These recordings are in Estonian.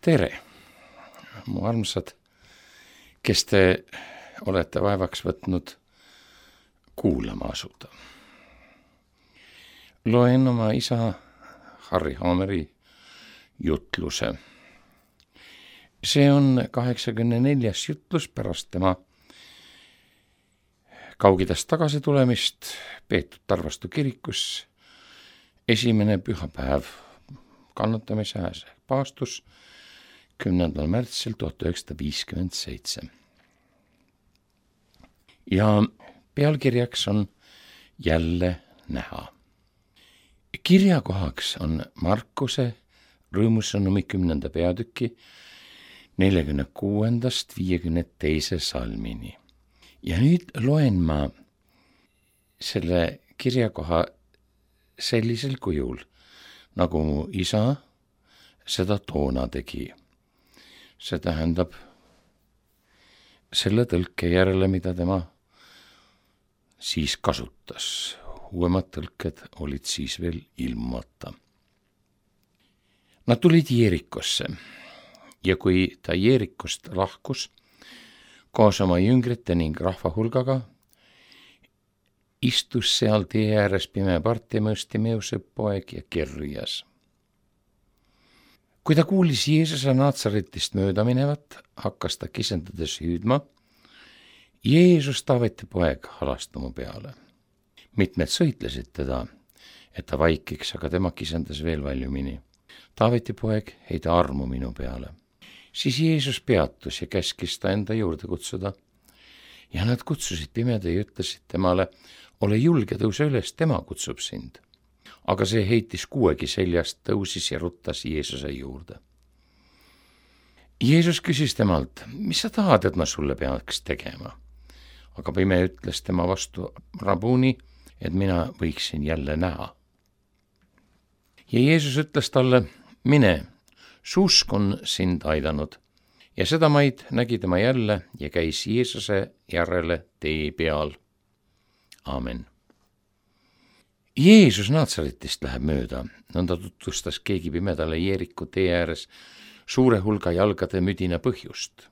Tere, mu armsad, kes te olete vaevaks võtnud kuulama asuda. Loen oma isa Harri Haameri jutluse. See on 84. jutlus pärast tema Kaug-Idast tagasi tulemist peetud Tarvastu kirikus esimene pühapäev kannatamise ajal paastus 10. märtsil 1957. Ja pealkirjaks on jälle näha. Kirjakohaks on Markuse rõõmusõnumi 10. peatüki 46-52 salmini. Ja nüüd loen ma selle kirjakoha sellisel kujul, nagu mu isa seda toona tegi. See tähendab selle tõlke järele, mida tema siis kasutas. Uuemad tõlked olid siis veel ilmata. Nad tulid Jeerikosse ja kui ta Jeerikost lahkus koos oma jüngrite ning rahva hulgaga, istus seal tee ääres pime Bartimeuse poeg ja kerjas. Kui ta kuulis Jeesuse Naatsaretist mööda minevat, hakkas ta kisendades hüüdma: Jeesus, Taaveti poeg, halasta mu peale. Mitmed sõitlesid teda, et ta vaikiks, aga tema kisendas veel valjumini: Taaveti poeg, heida armu minu peale. Siis Jeesus peatus ja käskis ta enda juurde kutsuda. Ja nad kutsusid pimeda ja ütlesid temale: ole julge, tõuse üles, tema kutsub sind. Aga see heitis kuuegi seljast, tõusis ja ruttas Jeesuse juurde. Jeesus küsis temalt: mis sa tahad, et ma sulle peaks tegema? Aga pime ütles tema vastu: Rabuni, et mina võiksin jälle näha. Ja Jeesus ütles talle: mine, su usk on sind aidanud. Ja seda maid nägi tema jälle ja käis Jeesuse järele tee peal. Aamen. Jeesus Naatsaretist läheb mööda, nõnda tutvustas keegi pimedale Jeeriku tee ääres suure hulga jalgade müdina põhjust.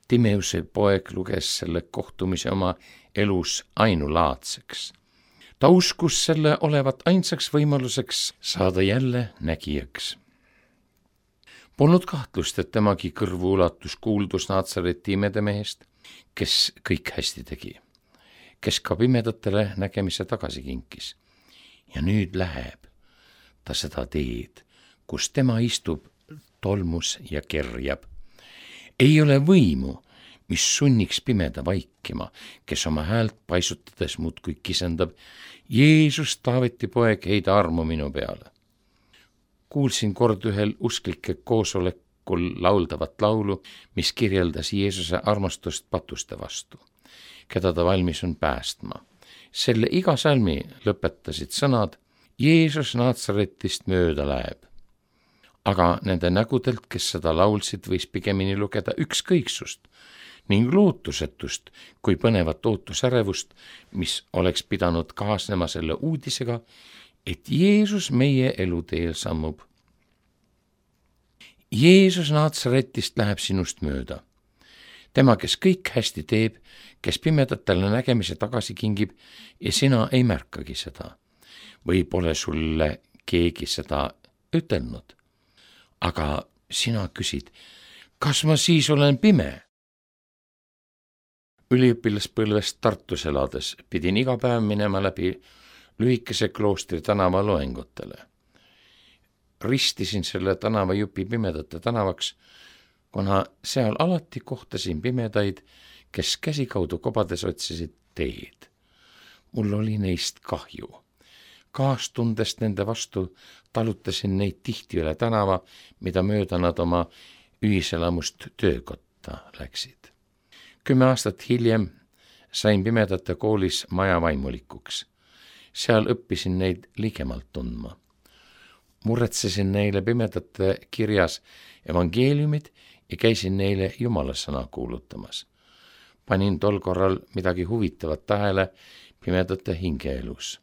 Timeuse poeg luges selle kohtumise oma elus ainulaadseks. Ta uskus selle olevat ainsaks võimaluseks saada jälle nägijaks. Polnud kahtlust, et temagi kõrvu ulatus kuuldus Naatsareti imedemehest, kes kõik hästi tegi, kes ka pimedatele nägemise tagasi kinkis. Ja nüüd läheb ta seda teed, kus tema istub tolmus ja kerjab. Ei ole võimu, mis sunniks pimeda vaikima, kes oma häält paisutades muudkui kisendab: Jeesus, Taaveti poeg, heida armu minu peale. Kuulsin kord ühel usklike koosolekul lauldavat laulu, mis kirjeldas Jeesuse armastust patuste vastu, keda ta valmis on päästma. Selle iga salmi lõpetasid sõnad: Jeesus Naatsaretist mööda läheb. Aga nende nägudelt, kes seda laulsid, võis pigemini lugeda ükskõiksust ning lootusetust kui põnevat ootusärevust, mis oleks pidanud kaasnema selle uudisega, et Jeesus meie eluteel sammub. Jeesus Naatsaretist läheb sinust mööda. Tema, kes kõik hästi teeb, kes pimedatele nägemise tagasi kingib ja sina ei märkagi seda. Või pole sulle keegi seda ütelnud. Aga sina küsid: kas ma siis olen pime? Üliõpilaspõlvest Tartus elades pidin iga päev minema läbi lühikese kloostri tänava loengutele. Ristisin selle tänavajupi pimedate tänavaks, kuna seal alati kohtasin pimedaid, kes käsikaudu kobades otsisid teed. Mul oli neist kahju. Kaastundest nende vastu talutasin neid tihti üle tänava, mida mööda nad oma ühiselamust töökotta läksid. 10 aastat hiljem sain pimedate koolis majavaimulikuks. Seal õppisin neid ligemalt tundma. Muretsesin neile pimedate kirjas evangeeliumid ja käisin neile Jumala sõna kuulutamas. Panin tol korral midagi huvitavat tähele pimedate hingeelus.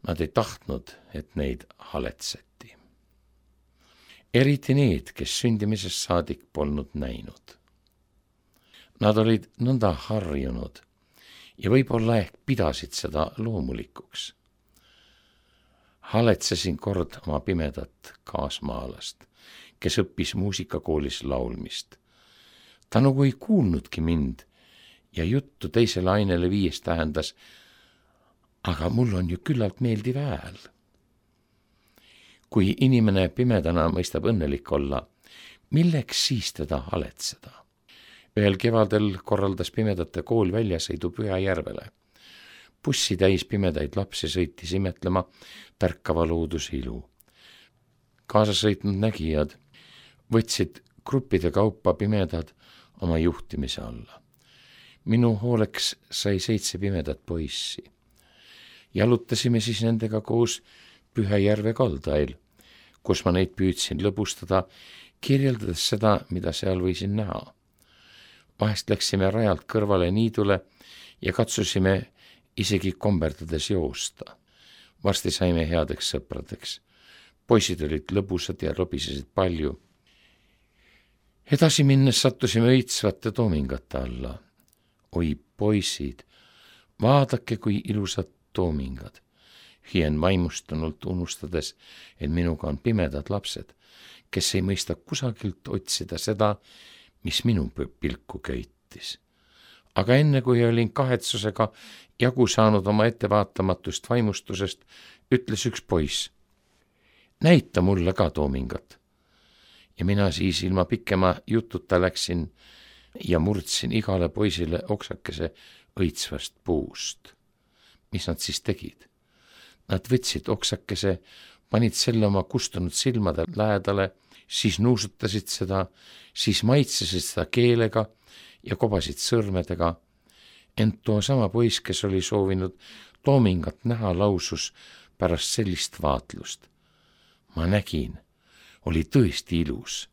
Nad ei tahtnud, et neid haletseti. eriti need, kes sündimisest saadik polnud näinud. Nad olid nõnda harjunud ja võib-olla ehk pidasid seda loomulikuks. Haletsesin kord oma pimedat kaasmaalast, kes õppis muusikakoolis laulmist. Ta nagu ei kuulnudki mind ja juttu teisele ainele viies tähendas, aga mul on ju küllalt meeldiv hääl. Kui inimene pimedana mõistab õnnelik olla, milleks siis teda haletseda? Ühel kevadel korraldas pimedate kool väljasõidu Pühajärvele. Bussi täis pimedaid lapsi sõitis imetlema tärkava looduse ilu. Kaasasõitnud nägijad võtsid gruppide kaupa pimedad oma juhtimise alla. Minu hooleks sai 7 pimedat poissi. Jalutasime siis nendega koos Pühajärve kaldail, kus ma neid püüdsin lõbustada, kirjeldades seda, mida seal võisin näha. Vahest läksime rajalt kõrvale niidule ja katsusime isegi komberdades joosta. Varsti saime headeks sõpradeks. Poisid olid lõbusad ja lobisesid palju. Edasi minnes sattusime õitsvate toomingate alla. Oi poisid, vaadake kui ilusad toomingad. Hien vaimustunult unustades, et minuga on pimedad lapsed, kes ei mõista kusagilt otsida seda, mis minu pilku köitis. Aga enne kui olin kahetsusega jagu saanud oma ettevaatamatust vaimustusest, ütles üks poiss: näita mulle ka toomingat. Ja mina siis ilma pikema jututa läksin ja murdsin igale poisile oksakese õitsvast puust. Mis nad siis tegid? Nad võtsid oksakese, panid selle oma kustunud silmade lähedale, siis nuusutasid seda, siis maitsesid seda keelega ja kobasid sõrmedega. Ent too sama poiss, kes oli soovinud toomingat näha, lausus pärast sellist vaatlust: ma nägin, oli tõesti ilus.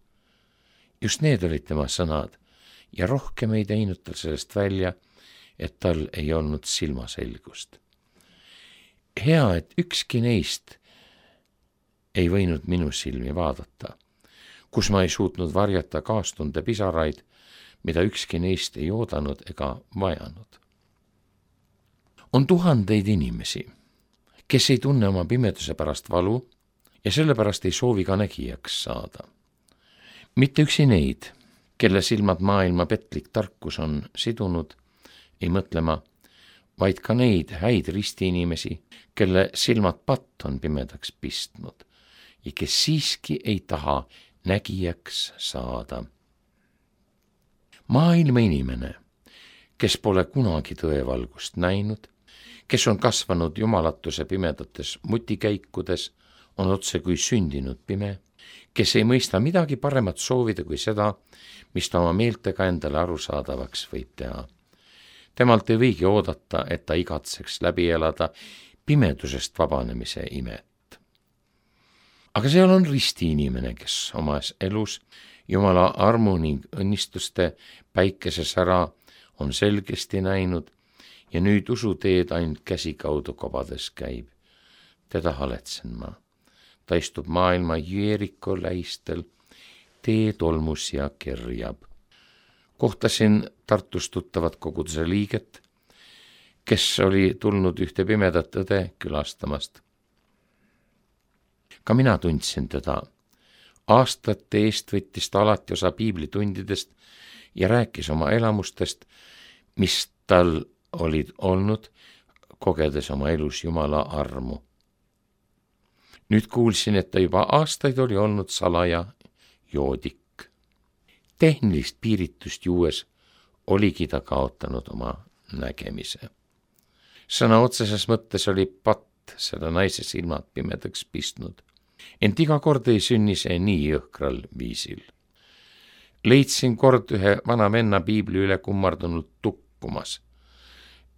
Just need olid tema sõnad ja rohkem ei teinud tal sellest välja, et tal ei olnud silmaselgust. Hea, et ükski neist ei võinud minu silmi vaadata, kus ma ei suutnud varjata kaastunde pisaraid, mida ükski neist ei oodanud ega vajanud. On tuhandeid inimesi, kes ei tunne oma pimeduse pärast valu ja sellepärast ei soovi ka nägijaks saada. Mitte üksi neid, kelle silmad maailma petlik tarkus on sidunud, ei mõtle ma, vaid ka neid häid ristiinimesi, kelle silmad patt on pimedaks pistnud ja kes siiski ei taha nägijaks saada. Maailma inimene, kes pole kunagi tõevalgust näinud, kes on kasvanud jumalatuse pimedates mutikäikudes, on otse kui sündinud pime, kes ei mõista midagi paremat soovida kui seda, mis ta oma meeltega endale arusaadavaks võib teha. Temalt ei võigi oodata, et ta igatseks läbi elada pimedusest vabanemise imet. Aga seal on ristiinimene, kes omas elus Jumala armu ning õnnistuste päikesesära on selgesti näinud ja nüüd usuteed ainult käsikaudu kobades käib. Teda haletsen ma. Ta istub maailma Jeeriko lähistel, tee tolmus ja kerjab. Kohtasin Tartus tuttavat koguduse liiget, kes oli tulnud ühte pimedat õde külastamast. Ka mina tundsin teda. Aastate eest võttis ta alati osa piiblitundidest ja rääkis oma elamustest, mis tal olid olnud, kogedes oma elus Jumala armu. Nüüd kuulsin, et ta juba aastaid oli olnud salaja joodik. Tehnilist piiritust juues oligi ta kaotanud oma nägemise. Sõna otseses mõttes oli patt selle naise silmad pimedaks pistnud. Ent iga kord ei sünni see nii jõhkral viisil. Leidsin kord ühe vana venna piibli üle kummardunult tukkumas.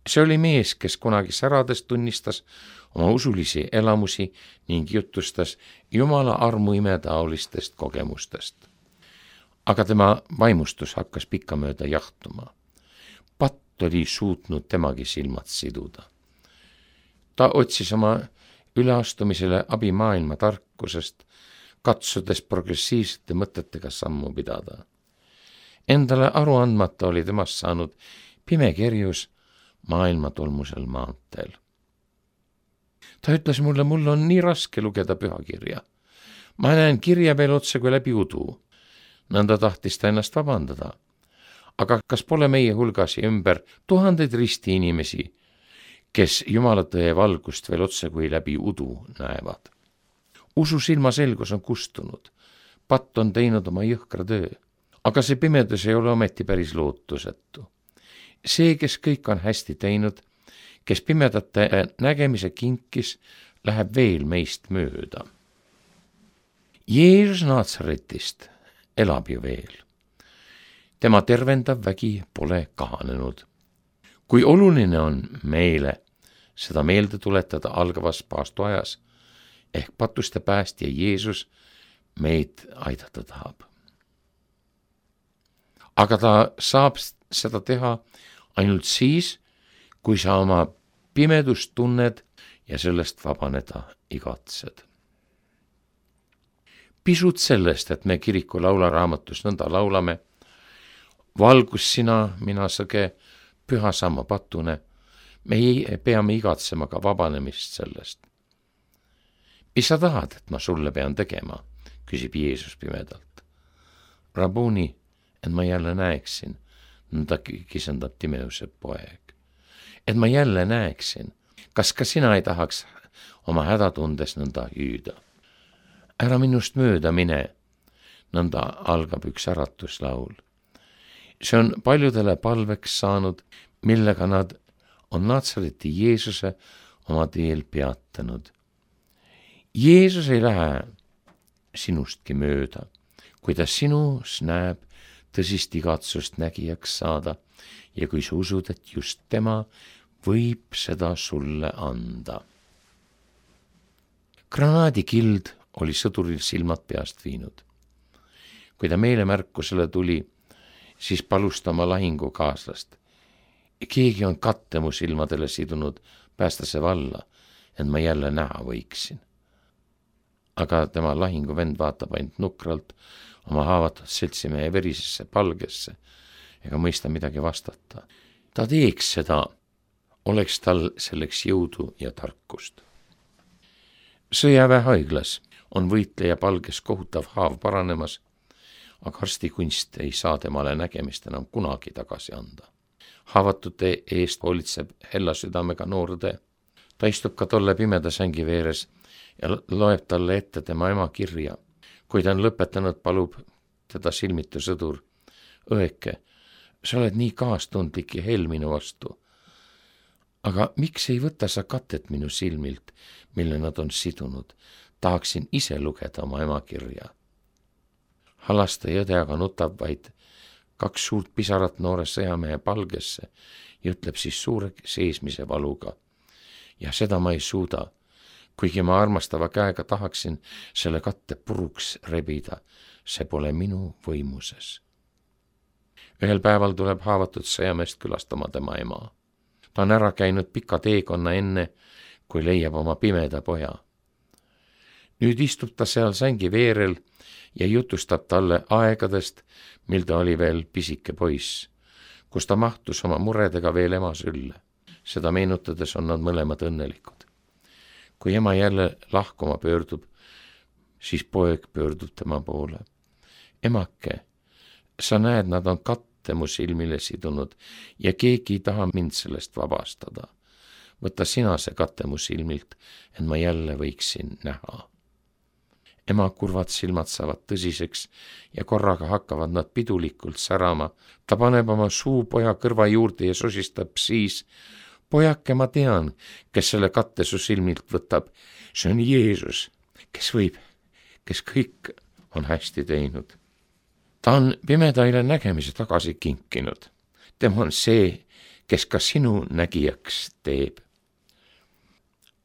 See oli mees, kes kunagi särades tunnistas oma usulisi elamusi ning jutustas Jumala armu imetaolistest kogemustest. Aga tema vaimustus hakkas pikkamööda jahtuma. Patt oli suutnud temagi silmad siduda. Ta otsis oma üleastumisele abi maailma tarkusest, katsudes progressiivsete mõtetega sammu pidada. Endale aru andmata oli temast saanud pime kerjus maailma tolmusel maanteel. Ta ütles mulle, mul on nii raske lugeda pühakirja. Ma näen kirja veel otse kui läbi udu. Nõnda tahtis ta ennast vabandada. Aga kas pole meie hulgas ja ümber tuhandeid risti inimesi, kes Jumala tõe valgust veel otse kui läbi udu näevad? Usu silmaselgus on kustunud. Patt on teinud oma jõhkra töö. Aga see pimedus ei ole ometi päris lootusetu. See, kes kõik on hästi teinud, kes pimedate nägemise kinkis, läheb veel meist mööda. Jeesus Naatsaretist elab ju veel. Tema tervendav vägi pole kahanenud. Kui oluline on meile seda meelde tuletada algavas paastuajas, ehk patuste päästja Jeesus meid aidata tahab. Aga ta saab seda teha ainult siis, kui sa oma pimedust tunned ja sellest vabaneda igatsed. Pisut sellest, et me kiriku laularaamatus nõnda laulame, valgus sina, mina sõge, püha sama patune, me peame igatsema ka vabanemist sellest. Mis sa tahad, et ma sulle pean tegema, küsib Jeesus pimedalt. Rabuni, et ma jälle näeksin, nõnda kisendab Timeuse poeg. Et ma jälle näeksin, kas ka sina ei tahaks oma hädatundes nõnda hüüda. Ära minust mööda mine, nõnda algab üks äratuslaul. See on paljudele palveks saanud, millega nad on Naatsareti Jeesuse oma teel peatanud. Jeesus ei lähe sinustki mööda, kui ta sinus näeb tõsist igatsust nägijaks saada ja kui sa usud, et just tema võib seda sulle anda. Granaadikild oli sõduril silmad peast viinud. Kui ta meelemärkusele tuli, siis palus ta oma lahingukaaslast. Keegi on katte mu silmadele sidunud, päästa see valla, et ma jälle näha võiksin. Aga tema lahinguvend vaatab ainult nukralt oma haavatud seltsimehe verisesse palgesse ega mõista midagi vastata. Ta teeks seda, oleks tal selleks jõudu ja tarkust. Sõjaväehaiglas on võitleja palges kohutav haav paranemas, aga arstikunst ei saa temale nägemist enam kunagi tagasi anda. Haavatute eest hoolitseb hella südamega noorde. Ta istub ka tolle pimeda sängi veeres ja loeb talle ette tema ema kirja. Kui ta on lõpetanud, palub teda silmitu sõdur. Õeke, sa oled nii kaastundlik ja hell minu vastu. Aga miks ei võta sa katet minu silmilt, mille nad on sidunud? Tahaksin ise lugeda oma ema kirja. Halaste jõde aga nutab vaid 2 suurt pisarat noore sõjamehe palgesse ja ütleb siis suure seesmise valuga. Ja seda ma ei suuda, kuigi ma armastava käega tahaksin selle katte puruks rebida, see pole minu võimuses. Ühel päeval tuleb haavatud sõjameest külastama tema ema. Ta on ära käinud pika teekonna enne, kui leiab oma pimeda poja. Nüüd istub ta seal sängi veerel ja jutustab talle aegadest, mil ta oli veel pisike poiss, kus ta mahtus oma muredega veel ema sülle. Seda meenutades on nad mõlemad õnnelikud. Kui ema jälle lahkuma pöördub, siis poeg pöördub tema poole. Emake, sa näed, nad on katte mu silmile sidunud ja keegi ei taha mind sellest vabastada. Võta sina see katte mu silmilt, et ma jälle võiksin näha. Ema kurvad silmad saavad tõsiseks ja korraga hakkavad nad pidulikult särama. Ta paneb oma suu poja kõrva juurde ja sosistab siis: pojake, ma tean, kes selle katte su silmilt võtab. See on Jeesus, kes võib, kes kõik on hästi teinud. Ta on pimedaile nägemise tagasi kinkinud. Tema on see, kes ka sinu nägijaks teeb.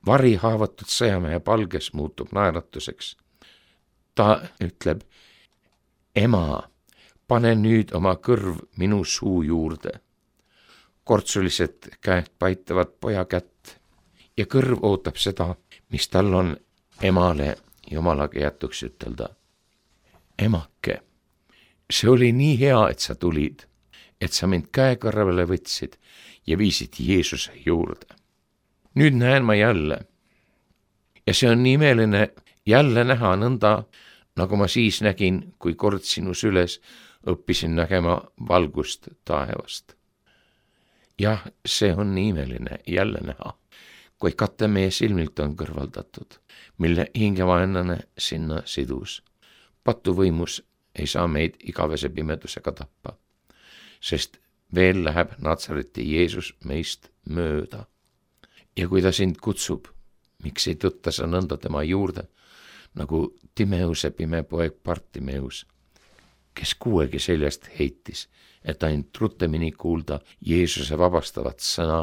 Vari haavatud sõjamehe palges muutub naeratuseks. Ta ütleb: ema, pane nüüd oma kõrv minu suu juurde. Kortsulised käed paitavad poja kätt ja kõrv ootab seda, mis tal on emale Jumalaga jätuks ütelda: emake, see oli nii hea, et sa tulid, et sa mind käekarvale võtsid ja viisid Jeesuse juurde. Nüüd näen ma jälle. Ja see on nii imeline jälle näha nõnda, nagu ma siis nägin, kui kord sinu süles õppisin nägema valgust taevast. Jah, see on nii imeline jälle näha, kui kate meie silmilt on kõrvaldatud, mille hingevaenlane sinna sidus. Patuvõimus ei saa meid igavese pimedusega tappa, sest veel läheb Natsareti Jeesus meist mööda. Ja kui ta sind kutsub, miks ei tõtta sa nõnda tema juurde, nagu Timeuse pime poeg Bartimeus, kes kuuegi seljast heitis, et ainult rutemini kuulda Jeesuse vabastavat sõna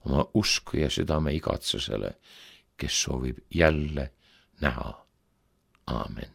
oma usku ja südame igatsusele, kes soovib jälle näha. Aamen.